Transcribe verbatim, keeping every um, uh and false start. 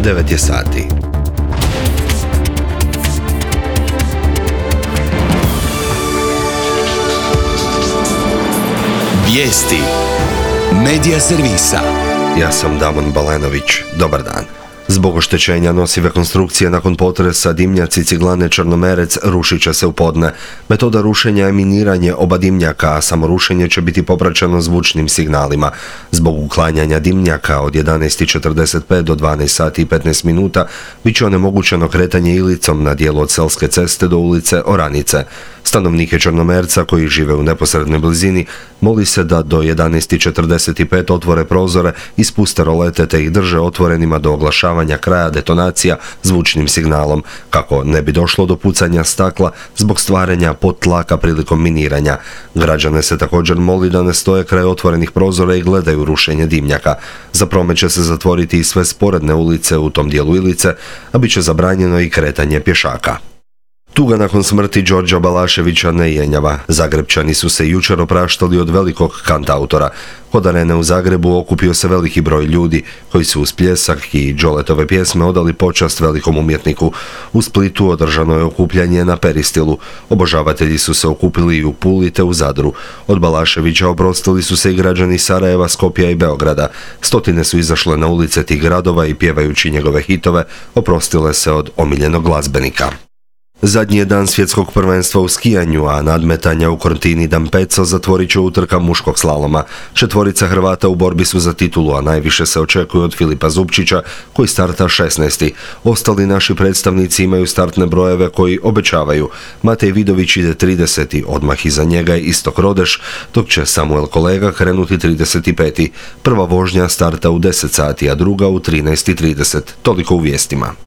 devet je sati. Vijesti Medija servisa. Ja sam Damon Balenović. Dobar dan. Zbog oštećenja nosive konstrukcije nakon potresa dimnjaci ciglane Črnomerec rušit će se u podne. Metoda rušenja je miniranje oba dimnjaka, a samo rušenje će biti popraćeno zvučnim signalima. Zbog uklanjanja dimnjaka od jedanaest i četrdeset pet do dvanaest sati i petnaest minuta bit će onemogućeno kretanje Ilicom na dijelu od Selske ceste do ulice Oranice. Stanovnike Črnomerca koji žive u neposrednoj blizini moli se da do jedanaest i četrdeset pet otvore prozore i spuste rolete te ih drže otvorenima do oglašavanja kraja detonacija zvučnim signalom, kako ne bi došlo do pucanja stakla zbog stvaranja podtlaka prilikom miniranja. Građane se također moli da ne stoje kraj otvorenih prozora i gledaju rušenje dimnjaka. Za promet će se zatvoriti i sve sporedne ulice u tom dijelu Ilice, a bit će zabranjeno i kretanje pješaka. Tuga nakon smrti Đorđa Balaševića ne jenjava. Zagrebčani su se jučer opraštali od velikog kantautora. Kod Arene u Zagrebu okupio se veliki broj ljudi koji su uz pljesak i Đoletove pjesme odali počast velikom umjetniku. U Splitu održano je okupljanje na Peristilu. Obožavatelji su se okupili i u Puli te u Zadru. Od Balaševića oprostili su se i građani Sarajeva, Skopja i Beograda. Stotine su izašle na ulice tih gradova i pjevajući njegove hitove oprostile se od omiljenog glazbenika. Zadnji je dan svjetskog prvenstva u skijanju, a nadmetanja u Cortini d'Ampezzo zatvorit će utrka muškog slaloma. Četvorica Hrvata u borbi su za titulu, a najviše se očekuje od Filipa Zupčića, koji starta šesnaesti. Ostali naši predstavnici imaju startne brojeve koji obećavaju. Matej Vidović ide trideseti, odmah iza njega je Istok Rodeš, dok će Samuel Kolega krenuti trideset peti. Prva vožnja starta u deset sati, a druga u trinaest i trideset. Toliko u vijestima.